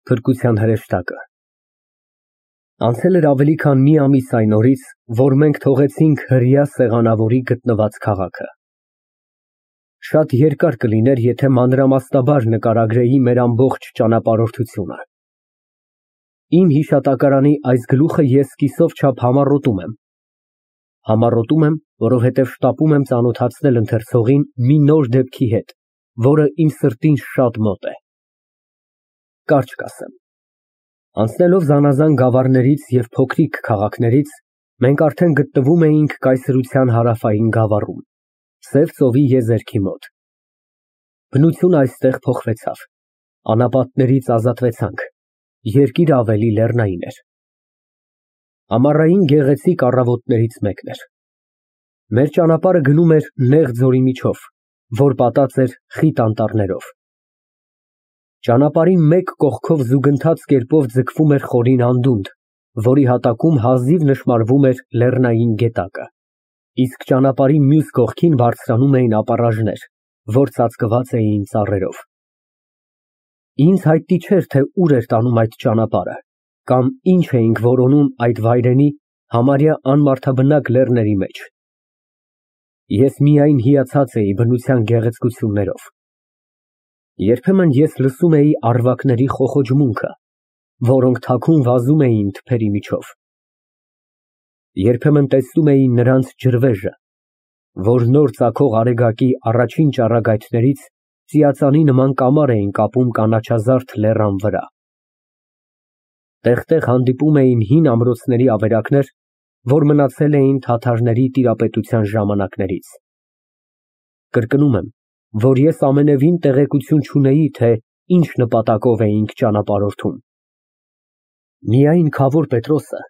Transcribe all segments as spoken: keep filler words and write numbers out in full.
Փրկության հրեշտակը։ Անցել էր ավելի քան մի ամիս այն օրից, որ մենք թողեցինք հրեա սեղանավորի գտնված քաղաքը։ Շատ երկար կլիներ, եթե մանրամասնաբար նկարագրեի մեր ամբողջ ճանապարհորդությունը։ Իմ հիշատակարանի այս գլուխը ես կիսով չափ համառոտում եմ։ Համառոտում եմ, որովհետև շտապում եմ ծանոթացնել ընթերցողին մի նոր դեպքի հետ, որը իմ սրտին շատ մոտ է։ Կարճ կասեմ։ Անցնելով զանազան գավառներից և փոքրիկ քաղաքներից, մենք արդեն գտնվում էինք կայսրության հարավային գավառում, Սև ծովի եզերքի մոտ։ Բնությունը այստեղ փոխվեցավ, անապատներից ազատվեցանք, երկիրը ավելի լեռնային էր։ Ամառային գեղեցիկ առավոտներից մեկն էր։ Մեր ճանապարհը գնում էր նեղ ձորի միջով, որ պատած էր խիտ անտառներով։ Ճանապարհի մեկ կողքով զուգընթաց կերպով ձգվում էր խորին անդունդ, որի հատակում հազիվ նշմարվում էր լեռնային գետակը, իսկ ճանապարհի մյուս կողքին բարձրանում էին ապառաժներ, որ ծածկված էին ծառերով։ Ինձ հայտնի չէր, թե ուր էր տանում այդ ճանապարհը, կամ ինչ էինք որոնում այդ վայրենի, համարյա անմարդաբնակ լեռների մեջ։ Ես միայն հիացած էի բնության գեղեցկություններով։ Երբեմն ես լսում էի առվակների խոխոջմունքը, որոնք թաքուն վազում էին թփերի միջով։ Երբեմն տեսնում էի նրանց ջրվեժը, որ նոր ծագող արեգակի առաջին ճառագայթներից ծիածանի նման կամար էին կապում կանաչազարդ լեռան վրա։ Տեղ֊տեղ հանդիպում էին հին ամրոցների ավերակներ, որ մնացել էին թաթարների տիրապետության ժամանակներից։ Կրկնում եմ, որ ես ամենևին տեղեկություն չունեի, թե ինչ նպատակով էինք ճանապարհորդում։ Միայն Քավոր Պետրոսը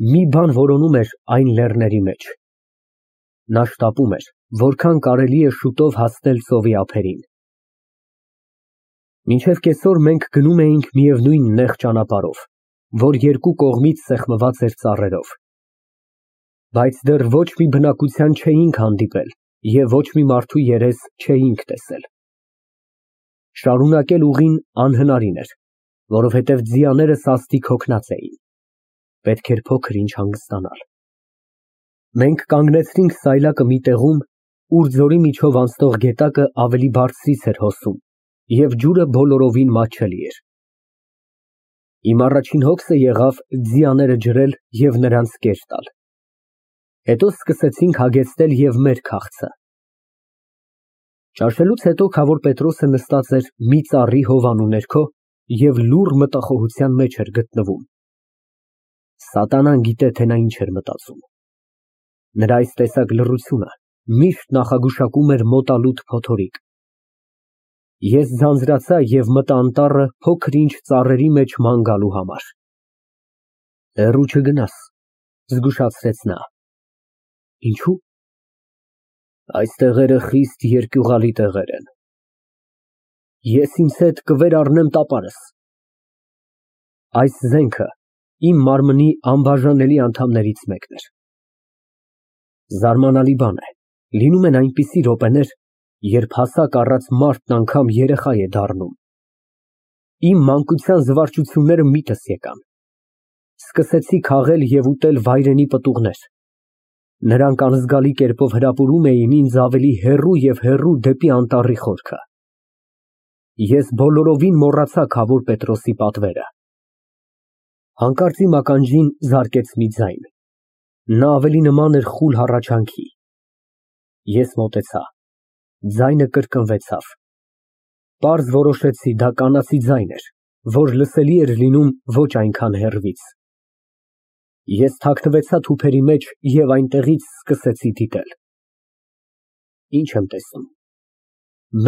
մի բան որոնում էր այն լեռների մեջ։ Նա շտապում էր, որքան կարելի է շուտով հասնել ծովի ափերին։ Մինչև կեսօր մենք գնում էինք միևնույն նեղ ճանապարհով, որ երկու կողմից սեղմված էր ծառերով։ Բայց դեռ ոչ մի բնակության չէինք հանդիպել և ոչ մի մարդու երես չէինք տեսել։ Շարունակել ուղին անհնարին էր, որովհետև ձիաները սաստիկ հոգնած էին։ Պետք էր փոքր ինչ հանգստանալ։ Մենք կանգնեցրինք սայլակը մի տեղում, ուր ձորի միջով անցնող գետակը ավելի բարձրից էր հոսում, և ջուրը բոլորովին մատչելի էր։ Իմ առաջին հոգսը եղավ ձիաները ջրել և նրանց կեր տալ։ Հետո սկսեցինք հագեցնել և մեր քաղցը։ Ճաշելուց հետո Քավոր Պետրոսը նստած էր մի ծառի հովանու ներքո և լուռ մտախոհության մեջ էր գտնվում։ Սատանան գիտե, թե նա ինչ էր մտածում։ Նրա այս տեսակ լռությունը միշտ նախագուշակում էր մոտալուտ փոթորիկ։ Ես ձանձրացա և մտա անտառը փոքր ինչ ծառերի մեջ ման գալու համար։ Հեռու չգնաս, զգուշացրեց նա։ Ինչո՞ւ։ Այս տեղերը խիստ երկյուղալի տեղեր են։ Ես ինձ հետ կվերառնեմ տապարս։ Այս զենքը իմ մարմնի անբաժանելի անդամներից մեկն էր։ Զարմանալի բան է, լինում են այնպիսի րոպեներ, երբ հասակ առած մարդն անգամ երեխա է դառնում։ Իմ մանկության զվարճությունները միտս եկան։ Սկսեցի քաղել և ուտել վայրենի պտուղներ։ Նրանք անզգալի կերպով հրապուրում էին ինձ ավելի հեռու և հեռու դեպի անտառի խորքը։ Ես բոլորովին մոռացա Քավոր Պետրոսի պատվերը։ Հանկարծ իմ ականջին զարկեց մի ձայն։ Նա ավելի նման էր խուլ հառաչանքի։ Ես մոտեցա։ Ձայնը կրկնվեցավ։ Պարզ որոշեցի, դա կանացի ձայն էր, որ լսելի էր լինում ոչ այնքան հեռվից։ Ես թաքնվեցա թփերի մեջ և այնտեղից սկսեցի դիտել։ Ինչ եմ տեսնում։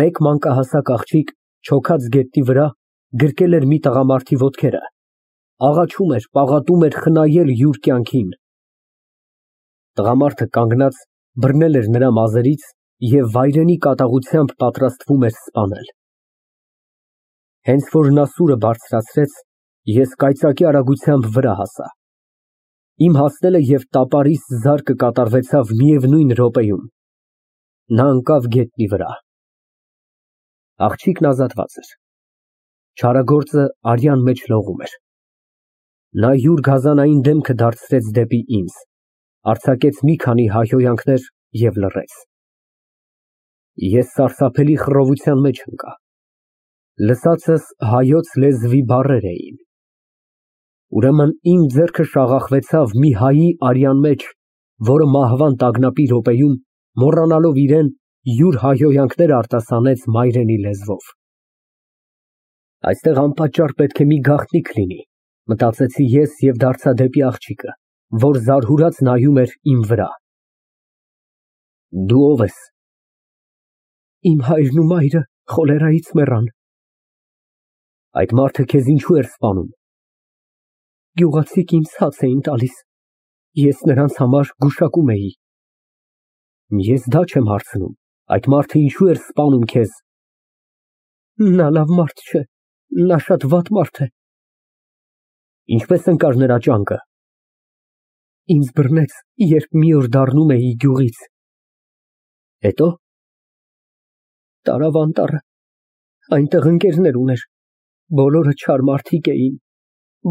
Մեկ մանկահասակ աղջիկ չոքած գետնի վրա գրկել էր մի տղամարդի ոտքերը, աղաչում էր, պաղատում էր խնայել յուր կյանքին։ Տղամարդը կանգնած բռնել էր նրա մազերից և վայրենի կատաղությամբ պատրաստվում էր սպանել։ Հենց որ նա սուրը բարձրացրեց, ես կայծակի արագությամբ վրա հասա։ Իմ հասնելը և տապարիս զարկը կատարվեցավ միևնույն րոպեում։ Նա ընկավ գետնի վրա։ Աղջիկն ազատված էր։ Չարագործը արյան մեջ լողում էր։ Նա յուր գազանային դեմքը դարձրեց դեպի ինձ, արձակեց մի քանի հայհոյանքներ և լռեց։ Ես սարսափելի խռովության մեջ ընկա։ Լսածս հայոց լեզվի բառեր էին։ Ուրեմն իմ ձեռքը շաղախվեցավ մի հայի արյան մեջ, որը մահվան տագնապի րոպեում, մոռանալով իրեն, յուր հայհոյանքները արտասանեց մայրենի լեզվով։ Այստեղ անպատճառ պետք է մի գաղտնիք լինի, մտածեցի ես և դարձա դեպի աղջիկը, որ զարհուրած նայում էր իմ վրա։ Դու ո՞վ ես։ Իմ հայրն ու մայրը խոլերայից մեռան։ Այդ մարդը քեզ ինչու էր սպանում։ Գյուղացիք ինձ հաց էին տալիս, ես նրանց համար գուշակում էի։ Ես դա չեմ հարցնում, այդ մարդը ինչու էր սպանում քեզ։ Նա լավ մարդ չէ, նա շատ վատ մարդ է։ Ինչպես ընկար նրա ճանկը։ Ինձ բռնեց, երբ մի օր դառնում էի գյուղից։ Հետո։ Տարավ անտառը, այնտեղ ընկերներ ուներ, բոլորը չար մարդիկ էին,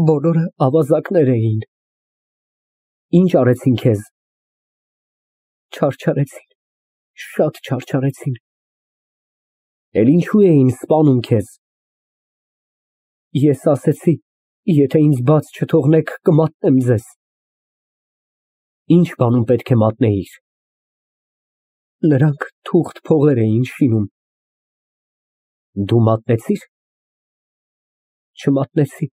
բոլորը ավազակներ էին։ Ինչ արեցին քեզ։ Չարչարեցին, շատ չարչարեցին։ Էլ ինչու էին սպանում քեզ։ Ես ասեցի, եթե ինձ բաց չթողնեք, կմատնեմ ձեզ։ Ինչ բանում պետք է մատնեիր։ Նրանք թուղթ փողեր էին շինում։ Դու մատնեցի՞ր։ Չմատնեցի։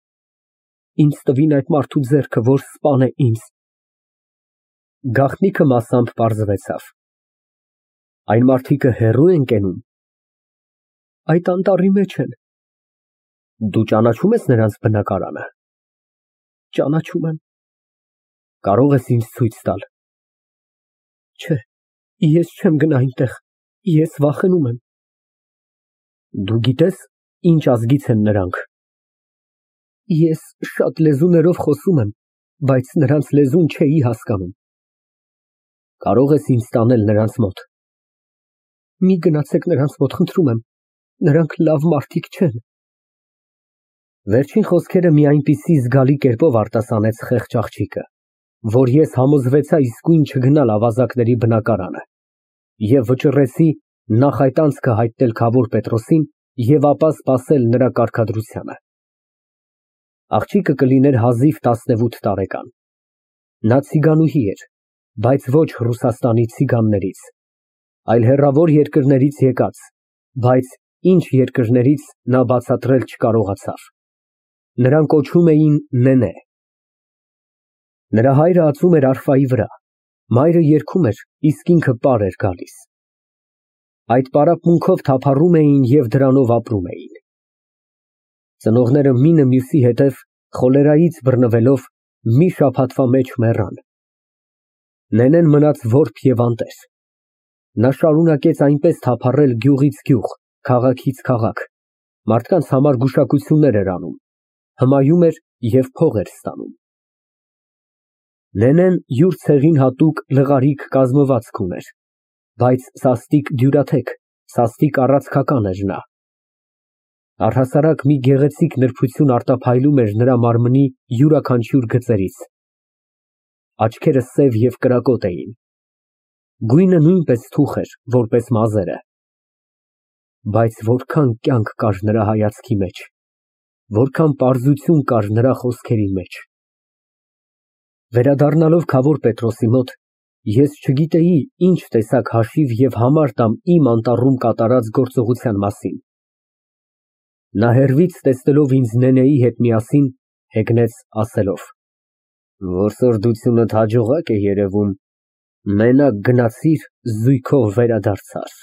Ինձ տվին այդ մարդու ձեռքը, որ սպանե ինձ։ Գաղտնիքը մասամբ պարզվեցավ։ Այն մարդիկը հեռու են կենում։ Այդ անտառի մեջ են։ Դու ճանաչում ես նրանց բնակարանը։ Ճանաչում եմ։ Կարող ես ինձ ցույց տալ։ Չէ, ես չեմ գնա այնտեղ, ես վախենում եմ։ Դու գիտես, ինչ ազգից են նրանք։ Ես շատ լեզուներով խոսում եմ, բայց նրանց լեզուն չէի հասկանում։ Կարող ես ինձ տանել նրանց մոտ։ Մի գնացեք նրանց մոտ, խնդրում եմ, նրանք լավ մարդիկ չեն։ Վերջին խոսքերը մի այնպիսի զգալի կերպով արտասանեց խեղճ աղջիկը, որ ես համոզվեցա իսկույն չգնալ ավազակների բնակարանը և վճռեցի նախ այդ անցքը հայտնել Քավոր Պետրոսին և ապա սպասել նրա կարգադրությանը։ Աղջիկը կլիներ հազիվ տասնևութ տարեկան։ Նա ցիգանուհի էր, բայց ոչ Ռուսաստանի ցիգաններից, այլ հեռավոր երկրներից եկած, բայց ինչ երկրներից նա բացատրել չկարողացավ։ Նրան կոչում էին Նենե։ Նրա հայրը ածում էր արֆայի վրա, մայրը երգում էր, իսկ ինքը պար էր գալիս։ Այդ պարապմունքով թափառում էին և դրանով ապրում էին։ Ծնողները մինը մյուսի հետև խոլերայից բռնվելով մի շաբաթվա մեջ մեռան։ Նենեն մնաց որբ և անտեր։ Նա շարունակեց այնպես թափառել գյուղից գյուղ, քաղաքից քաղաք, մարդկանց համար գուշակություններ էր անում, հմայում էր և փող էր ստանում։ Նենեն յուր ցեղին հատուկ լղարիկ կազմվածք ուներ, բայց սաստիկ դյուրաթեք, սաստիկ առացքական էր նա։ Առհասարակ մի գեղեցիկ նրբություն արտափայլում էր նրա մարմնի յուրաքանչյուր գծերից։ Աչքերը սև և կրակոտ էին։ Գույնը նույնպես թուխ էր, որպես մազերը։ Բայց որքան կյանք կար նրա հայացքի մեջ, որքան պարզություն կար նրա խոսքերի մեջ։ Վերադառնալով Քավոր Պետրոսի մոտ, ես չգիտեի ինչ տեսակ հաշիվ և համար տամ իմ անտառում կատարած գործողության մասին։ Նա հեռվից տեսնելով ինձ Նենեի հետ միասին, հեգնեց ասելով. Որսորդությունդ հաջողակ է երևում, մենակ գնացիր, զույգով վերադարձար։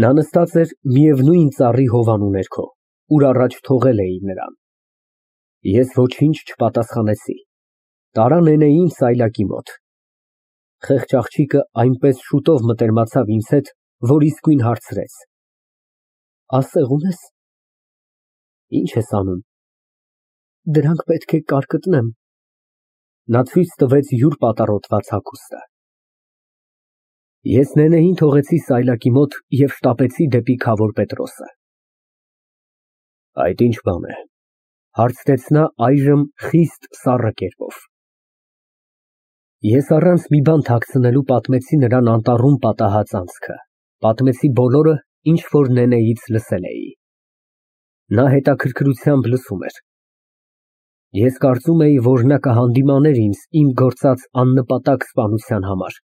Նա նստած էր միևնույն ծառի հովանու ներքո, ուր առաջ թողել էի նրան։ Ես ոչինչ չպատասխանեցի, տարա Նենեին սայլակի մոտ։ Խեղճ աղջիկը այնպես շուտով մտերմացավ ինձ հետ, որ իսկույն հարցրեց. Ասեղ ունե՞ս։ Ինչ ես անում։ Դրանք պետք է կարկտնեմ։ Նա ցույց տվեց յուր պատառոտված հագուստը։ Ես Նենեին թողեցի սայլակի մոտ և շտապեցի դեպի Քավոր Պետրոսը։ Այդ ինչ բան է, հարցրեց նա այժմ խիստ սառը կերպով։ Ես առանց մի բան թաքցնելու պատմեցի նրան անտառում պատահած անցքը, պատմեցի բոլորը, ինչ որ նենեից լսել էի։ Նա հետաքրքրությամբ լսում էր։ Ես կարծում էի, որ նա կհանդիմաներ ինձ իմ գործած աննպատակ սպանության համար,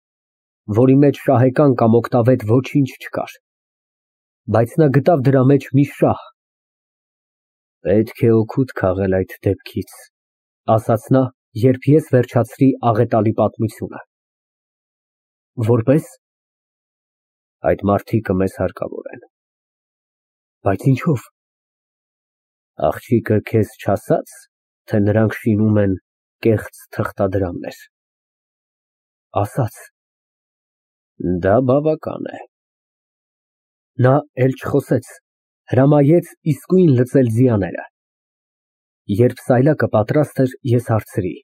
որի մեջ շահեկան կամ օգտավետ ոչինչ չկար, բայց նա գտավ դրա մեջ մի շահ։ Պետք է օգուտ քաղել այդ դեպքից, ասաց նա, երբ ես վերջացրի աղետալի պատմությունը։ Որպե՞ս։ Այդ մարդիկը մեզ հարկավոր են։ Բայց ինչո՞վ։ Աղջիկը քեզ չասա՞ց, թե նրանք շինում են կեղծ թղթադրամներ։ Ասաց։ Դա բավական է։ Նա էլ չխոսեց, հրամայեց իսկույն լծել ձիաները։ Երբ սայլակը պատրաստ էր, ես հարցրի.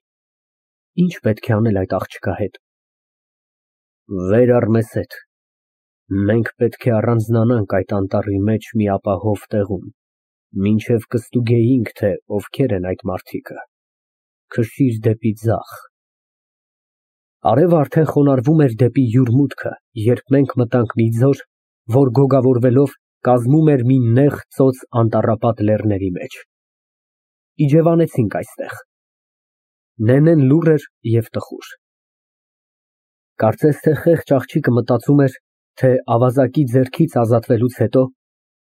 Ի՞նչ պետք է անել այդ աղջկա հետ։ Վեր առ մեզ հետ։ Մենք պետք է առանձնանանք այդ անտառի մեջ մի ապահով տեղում, մինչև կստուգեինք, թե ովքեր են այդ մարդիկը։ Քշիր դեպի ձախ։ Արևը արդեն խոնարհվում էր դեպի յուր մուտքը, երբ մենք մտանք մի ձոր, որ գոգավորվելով կազմում էր մի նեղ ծոծ անտառապատ լեռների մեջ։ Իջևանեցինք այստեղ։ Նենեն լուռ էր և տխուր։ Կարծես թե խեղճ աղջիկը մտածում էր, թե ավազակի ձեռքից ազատվելուց հետո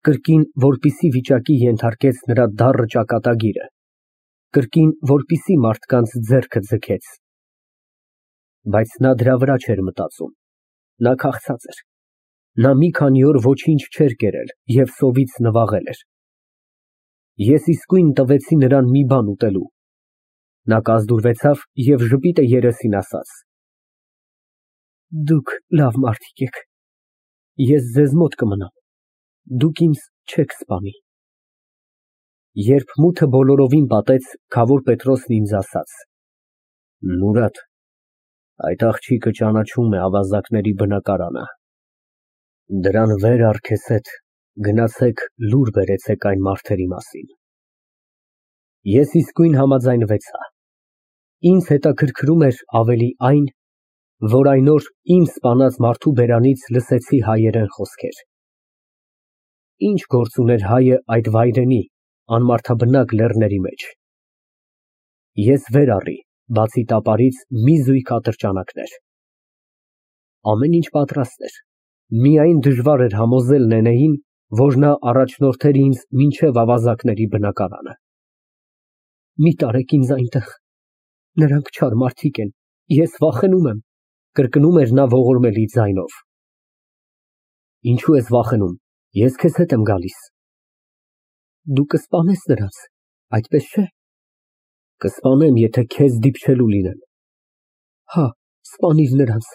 կրկին որպիսի վիճակի ենթարկեց նրա դառը ճակատագիրը, կրկին որպիսի մարդկանց ձեռքը ձգեց։ Բայց նա դրա վրա չէր մտածում, նա քաղցած էր, նա մի քանի օր ոչինչ չէր կերել և սովից նվաղել էր։ Ես իսկույն տվեցի նրան մի բան ուտելու։ Նա կազդուրվեցավ և ժպիտը երեսին ասաց. Դուք լավ մարդիկ եք, ես ձեզ մոտ կմնամ, դուք ինձ չեք սպանի։ Երբ մութը բոլորովին պատեց, քավոր Պետրոսն ինձ ասաց. Մուրադ, այդ աղջիկը ճանաչում է ավազակների բնակարանը։ Դրան վեր առ քեզ հետ, գնացեք լուր բերեցեք այն մարդերի մասին։ Ես իսկույն համաձայնվեցա։ Ինձ հետաքրքրում էր ավելի այն, որ այն օր իմ սպանած մարդու բերանից լսեցի հայերեն խոսքեր։ Ինչ գործ ուներ հայը այդ վայրենի, անմարդաբնակ լեռների մեջ։ Ես վեր առի, բացի տապարից, մի զույգ ատրճանակներ։ Ամեն ինչ պատրաստ էր, միայն դժվար էր համոզել նենեին, որ նա առաջնորդեր ինձ մինչև ավազակների բնակարանը։ Մի տարեք ինձ այնտեղ, նրանք չար մարդիկ են, ես վախենում եմ, կրկնում էր նա ողորմելի ձայնով։ Ինչու ես վախենում, ես քեզ հետ եմ գալիս։ Դու կսպանես նրանց, այդպես չէ։ Կսպանեմ, եթե քեզ դիպչելու լինեմ։ Հա, սպանիր նրանց,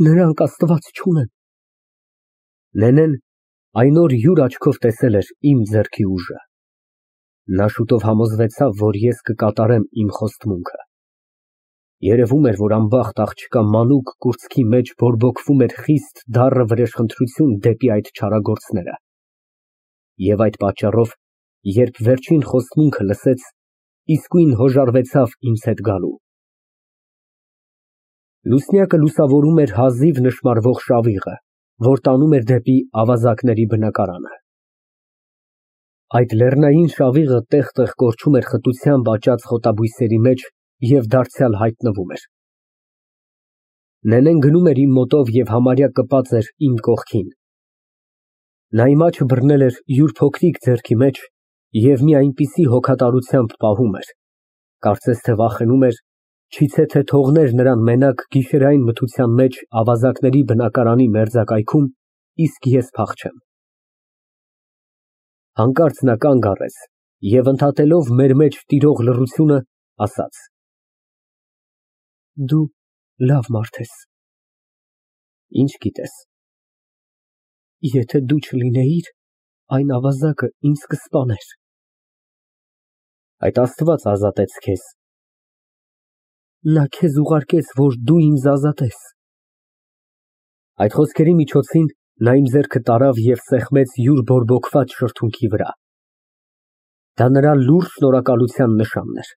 նրանք աստված չունեն։ Նենեն այն օր յուր աչքով տեսել էր իմ ձեռքի ուժը։ Նա շուտով համոզվեցավ, որ ես կկատարեմ իմ խոստմունքը։ Երևում էր, որ անբախտ աղջկա մանուկ կուրծքի մեջ բորբոքվում էր խիստ դառը վրեժխնդրություն դեպի այդ չարագործները։ Եվ այդ պատճառով, երբ վերջին խոստմունքը լսեց, իսկույն հոժարվեցավ ինձ հետ գալու։ Լուսնյակը լուսավորում էր հազիվ նշմարվող շավիղը, որ տանում էր դեպի ավազակների բնակարանը։ Այդ լեռնային շավիղը տեղ֊տեղ կորչում էր խտությամբ աճած խոտաբույսերի մեջ և դարձյալ հայտնվում էր։ Նենեն գնում էր իմ մոտով և համարյա կպած էր իմ կողքին։ Նա իմ աչքը բռնել էր յուր փոքրիկ ձեռքի մեջ և մի այնպիսի հոգատարությամբ պահում էր, կարծես թե վախենում էր, չիթե թե թողներ նրան մենակ գիշերային մթության մեջ ավազակների բնակարանի մերձակայքում, իսկ ես փախչեմ։ Հանկարծ նա կանգ առեց և ընդհատելով մեր մեջ տիրող լռությունը, ասաց. Դու լավ մարդ ես։ Ինչ գիտես։ Եթե դու չլինեիր, այն ավազակը ինձ կսպաներ։ Այդ Աստված ազատեց քեզ։ Նա քեզ ուղարկեց, որ դու ինձ ազատես։ Այդ խոսքերի միջոցին նա իմ ձեռքը տարավ և սեղմեց յուր բորբոքված շրթունքի վրա։ Դա նրա լուռ շնորհակալության նշանն էր։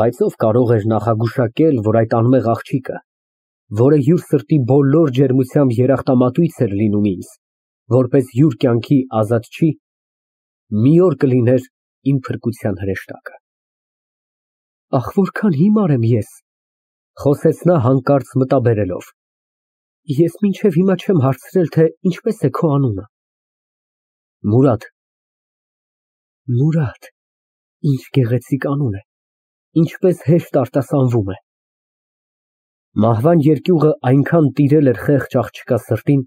Բայց ով կարող էր նախագուշակել, որ այդ անմեղ աղջիկը, որը յուր սրտի բոլոր ջերմությամբ երախտամատույց էր լինում ինձ, որպես յուր կյանքի ազատչի, մի օր կլիներ իմ փրկության հրեշտակը։ Ախ, որքան հիմար եմ ես, խոսեց նա հանկարծ մտաբերելով։ Ես մինչև հիմա չեմ հարցրել, թե ինչպես է քո անունը։ Մուրադ։ Մուրադ, ինչ գեղեցիկ անուն է, ինչպես հեշտ արտասանվում է։ Մահվան երկյուղը այնքան տիրել էր խեղճ աղջկա սրտին,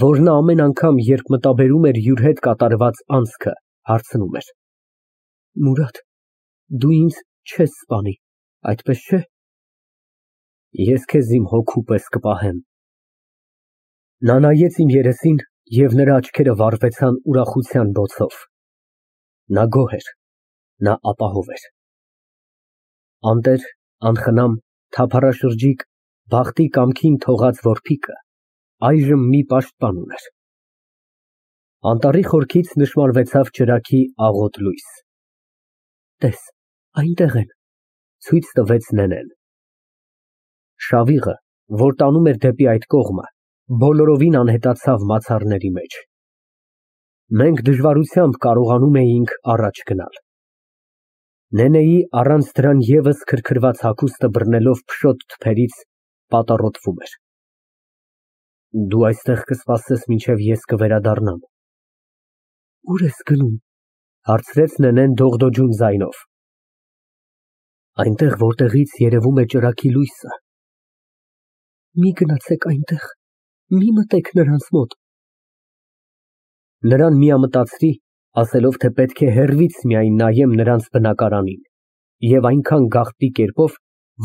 որ նա ամեն անգամ, երբ մտաբերում էր յուր հետ կատարված անցքը, հարցնում էր. Մուրադ, դու ինձ չես սպանի, այդպես չէ։ Ես քեզ իմ հոգու պես կպահեմ։ Նա նայեց իմ երեսին, և նրա աչքերը վառվեցան ուրախության բոցով։ Նա գոհ էր, նա ապահով էր։ Անտեր, անխնամ, թափառաշրջիկ, բախտի կամքին թողած որբիկը այժմ մի պաշտպան ուներ։ Անտառի խորքից նշմարվեցավ ճրագի աղոտ լույս։ Տես, այնտեղ են, ցույց տվեց Նենեն։ Շավիղը, որ տանում էր դեպի այդ կողմը, բոլորովին անհետացավ մացառների մեջ։ Մենք դժվարությամբ կարողանում էինք առաջ գնալ։ Նենեի առանց դրան ևս քրքրված հագուստը բռնելով փշոտ թփերից պատառոտվում էր։ Դու այստեղ կսպասես, մինչև ես կվերադառնամ։ Ուր ես գնում, հարցրեց Նենեն դողդոջուն ձայնով։ Այնտեղ, որտեղից երևում է ճրագի լույսը։ Մի գնացեք այնտեղ, մի մտեք նրանց մոտ։ Նրան միամտածրի, ասելով, թե պետք է հեռվից միայն նայեմ նրանց բնակարանին, և այնքան գաղտնի կերպով,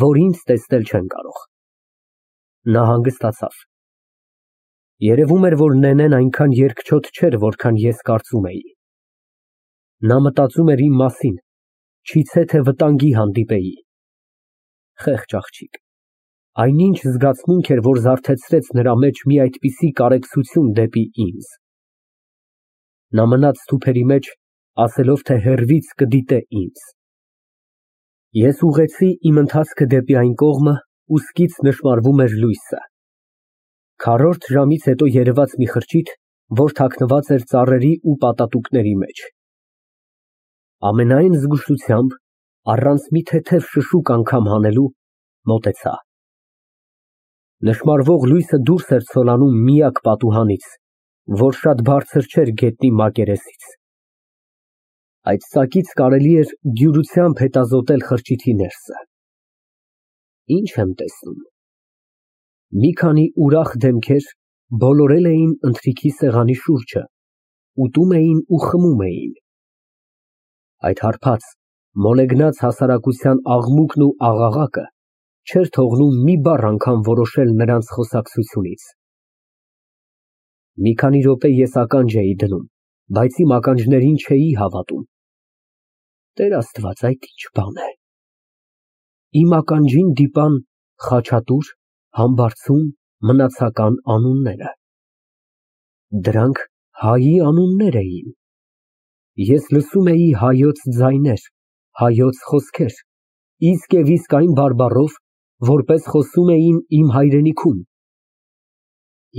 որ ինձ տեսնել չեն կարող։ Նա հանգստացավ։ Երևում էր, որ Նենեն այնքան երկչոտ չէր, որքան ես կարծում էի։ Նա մտածում էր իմ մասին, չիցե թե վտանգի հանդիպեի։ Խեղճ աղջիկ, այնինչ զգացմունք էր, որ զարթեցրեց նրա մեջ մի այդպիսի կարեկցություն դեպի ինձ։ Նա մնաց թուփերի մեջ, ասելով, թե հեռվից կդիտե ինձ։ Ես ուղղեցի իմ ընթացքը դեպի այն կողմը, ու սկից նշմարվում էր լույսը։ Քառորդ ժամից հետո երևաց մի խրճիթ, որ թաքնված էր ծառերի ու պատատուկների մեջ։ Ամենայն զգուշությամբ, առանց մի թեթև շշուկ անգամ հանելու, մոտեցա։ Նշմարվող լույսը դուրս էր ցոլանում միակ պատուհանից, որ շատ բարձր չէր գետնի մակերեսից։ Այդ ծակից կարելի էր դյուրությամբ հետազոտել խրճիթի ներսը։ Ինչ եմ տեսնում։ Մի քանի ուրախ դեմքեր բոլորել էին ընթրիքի սեղանի շուրջը, ուտում էին ու խմում էին։ Այդ հարբած, մոլեգնած հասարակության աղմուկն ու աղաղակը չէր թողնում մի բառ անգամ որոշել նրանց խոսակցությունից։ Մի քանի րոպե ես ականջ էի դնում, բայց իմ ականջներին չէի հավատում։ Տեր Աստված, այդ ի՞նչ բան է։ Իմ ականջին դիպան Խաչատուր, Համբարձում, Մնացական անունները։ Դրանք հայի անուններ էին։ Ես լսում էի հայոց ձայներ, հայոց խոսքեր, իսկ և իսկ այն բարբառով, որպես խոսում էին իմ հայրենիքում։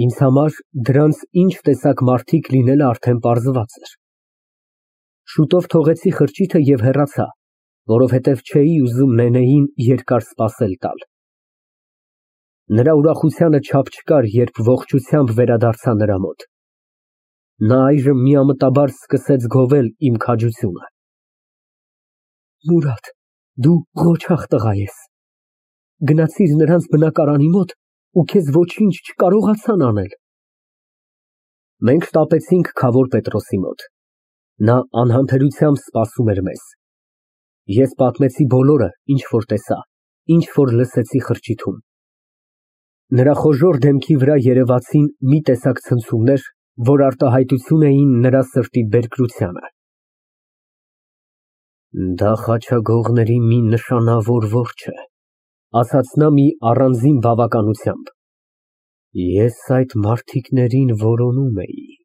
Ինձ համար դրանց ինչ տեսակ մարդիկ լինելը արդեն պարզված էր։ Շուտով թողեցի խրճիթը և հեռացա, որովհետև չէի ուզում Նենեին երկար սպասել տալ։ Նրա ուրախությանը չափ չկար, երբ ողջությամբ վերադարձա նրա մոտ։ Նա այժմ միամտաբար սկսեց գովել իմ քաջությունը։ Մուրադ, դու ղոչաղ տղա ես։ Գնացիր նրանց բնակարանի մոտ ու քեզ ոչինչ չկարողացան անել։ Մենք շտապեցինք Քավոր Պետրոսի մոտ։ Նա անհամբերությամբ սպասում էր մեզ։ Ես պատմեցի բոլորը, ինչ որ տեսա, ինչ որ լսեցի խրճիթում։ Նրա խոժոռ դեմքի վրա երևացին մի տեսակ ցնցումներ, որ արտահայտություն էին նրա սրտի բերկրությանը։ Դա խաչագողների մի նշանավոր որջ է, ասաց նա մի առանձին բավականությամբ։ Ես այդ մարդիկներին որոնում էի։